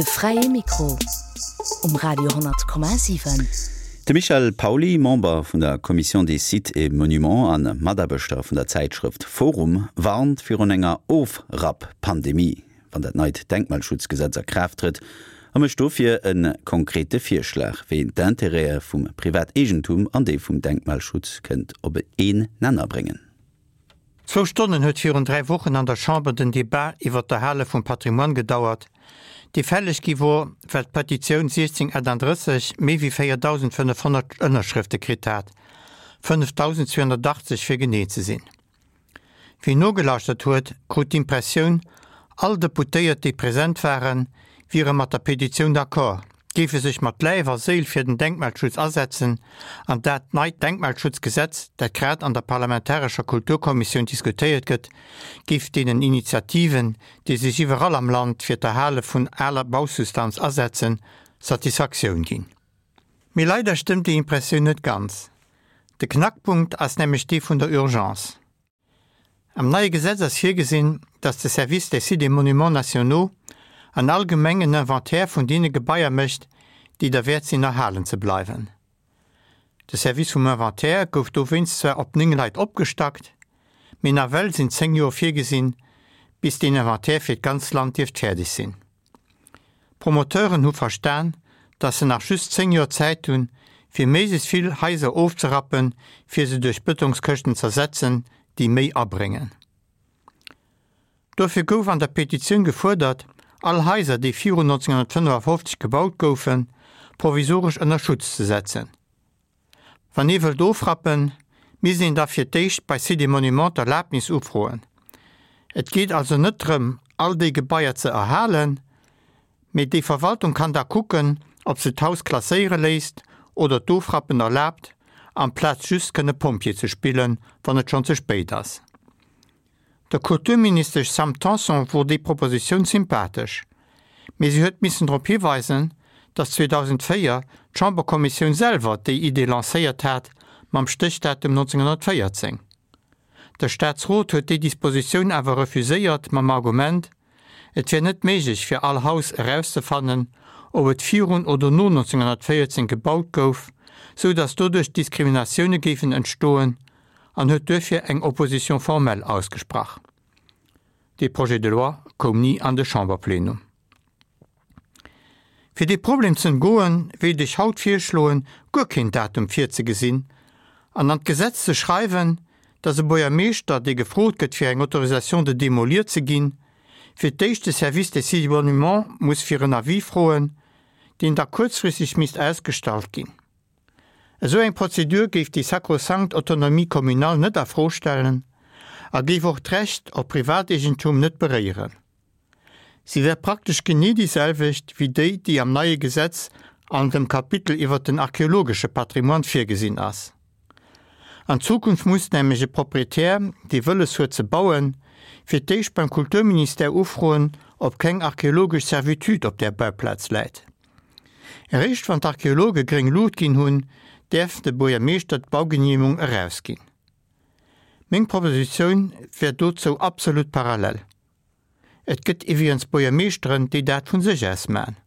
De fräie Mikro um Radio 10,7. De Michel Pauly, Member vun der Commission des Sites et Monuments a Mataarbechter vun der Zäitschrëft forum, warnt virun enger Ofrapp-Pandemie, wann dat neit Denkmalschutzgesetz a Kraaft trëtt, a mécht dofir e konkrete Virschlag, wéi een d'Intérêtë vum Privateegentum an déi vum Denkmalschutz kënnt op een Nenner bréngen. Zwou Stonnen huet virun 3 Wochen an der Chamber den Debat iwwer d'Erhale vum Patrimoine gedauert, dee fälleg gi wor, well d'Petitioun 1638 méi wéi 4.500 Ënnerschrëfte kritt hat, 5.280 fir genee ze sinn. Wien nogelauschtert huet, krut d'Impressioun, all Deputéiert, déi present waren, wiere mat der Petitioun d'accord. géife sech mat Läif a Séil fir den Denkmalschutz asetzen an dat neit Denkmalschutzgesetz, dat grad an der parlamentarescher Kulturkommissioun diskutéiert gëtt, géif deenen Initiativen, déi sech iwwerall am Land fir d'Erhale vun aler Bausubstanz asetzen, Satisfaktioun ginn. Mee leider stëmmt déi Impressioun net ganz. De Knackpunkt ass nämlech dee vun der Urgence. Am neie Gesetz ass virgesinn, datt de Service des Sites et Monuments nationaux an all Gemeng en Inventaire vun deene Gebaier mécht, déi derwäert sinn erhalen ze bleiwen. De Service vum Inventaire gouf dowéinst zwar op 9 Leit opgestackt, mee nawell sinn 10 Joer virgesinn, bis deen Inventaire fir d'ganz Land dierft fäerdeg sinn. D'Promoteuren hu verstan, dass se nach just 10 Joer Zäit hunn, fir méiglechst vill Haiser ofzerappen, fir se duerch Bëtongskëschten z'ersetzen, déi méi abréngen. Dofir gouf an der Petitioun gefuerdert, all Haiser, déi virun 1955 gebaut goufen, provisoresch ënner Schutz ze setzen. Wann ee wëllt ofrappen, misst een da fir d'éischt bei Sites et Monuments d'Erlaabnis ufroen. Et geet also net drëm, all déi Gebaier ze erhalen, mee déi Verwaltung kann da kucken, ob se d'Haus klasséiere léisst oder d'Ofrappen erlaabt, amplaz just kënne Pompjee ze spillen, wann et schonn ze spéit ass. Der Kulturministesch Sam Tanson wor déi Propositioun sympathesch, mee si huet missen drop hiweisen, datt 2004 d'Chamberkommissioun selwer déi Idee lancéiert hat, mam Stéchdatum 1914. De Staatsrot huet déi Dispositioun awer refuséiert mam Argument, et wär net méiglech fir all Haus erauszefannen, ob et virun oder no 1914 gebaut gouf, sou datt doduerch Diskriminatioune géifen entstoen an huet duerfir eng Opposition formelle ausgesprach. Dee Projet de loi koum ni an de Chamberplenum. Fir dee Problem ze ëmgoen, wéilt ech haut virschloen, guer keen Datum virzegesinn an an d'Gesetz ze schreiwen, dass e Buergermeeschter, dee gefrot gëtt fir eng Autorisation de démolir ze ginn, fir d'éischt de Service des Sites et Monuments muss fir en Avis froen, deen da kuerzfristeg misst ausgestallt ginn. Esou eng Prozedur géif déi sakrosankt Autonomie communale net a Fro stellen a géif och d'Recht op Privateegentum net beréieren. Si wär praktesch genee déi selwecht wéi déi, déi am neie Gesetz an dem Kapitel iwwert den archeologesche Patrimoine virgesinn ass. An Zukunft muss nämlech e Proprietär, dee wëlles huet ze bauen, fir d'éischt beim Kulturministère ufroen, ob keng archeologesch Servitude op där Bauplaz läit. Eréischt wann d'Archeologe gréng Luucht ginn hunn, däerf de Buergermeeschter d'Baugeneemegung erausginn. Meng Propositioun wär dozou absolut parallel. Et gëtt iwwregens Buergermeeschteren, déi dat vun sech aus man.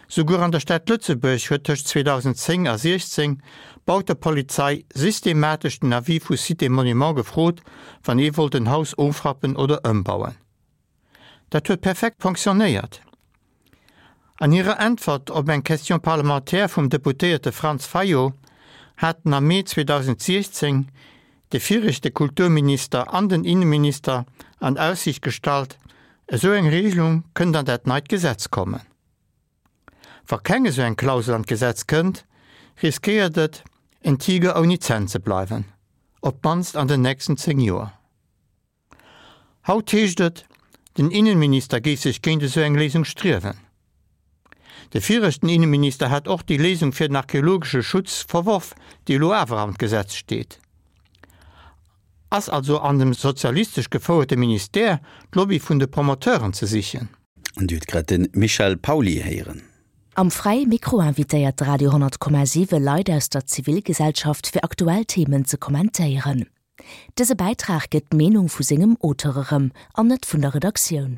Souguer an der Stad Lëtzebuerg huet tëscht 2010 a 16 d'Bautepolizei systematesch den Avis vu Sites et Monuments gefrot, wann ee wollt en Haus ofrappen oder ëmbauen. Dat huet perfekt fonctionnéiert. An hirer Äntwert op eng Question parlementaire vum Deputéierte Franz Fayot haten am Mee 2016 de viregte Kulturminister an den Inneminister an Aussiicht gestallt, esou eng Regelung kënnt an dat neit Gesetz kommen. Wa keng esou eng Klausel an d'Gesetz kënnt, riskéiert et, en Tiger ouni Zänn ze bleiwen, op d'mannst an den nächsten 10 Joer. Haut heescht et, den Innenminister géif sech géint esou eng Léisung striewen. De viregten Innenminister hat och déi Léisung fir den archeologesche Schutz verworf, déi elo awer am Gesetz steet. Ass also an dem sozialistesch gefouerte Ministère d'Lobby vun de Promoteuren ze sichen? An Dir hutt grad de Michel Pauly héieren. Am Fräie Mikro invitéiert de Radio 10,7 Leit aus der Zivilgesellschaft fir aktuell Themen ze kommentéieren. Dëse Bäitrag gëtt d'Meenung vu sengem Auteur erëm, an net vun der Redaktioun.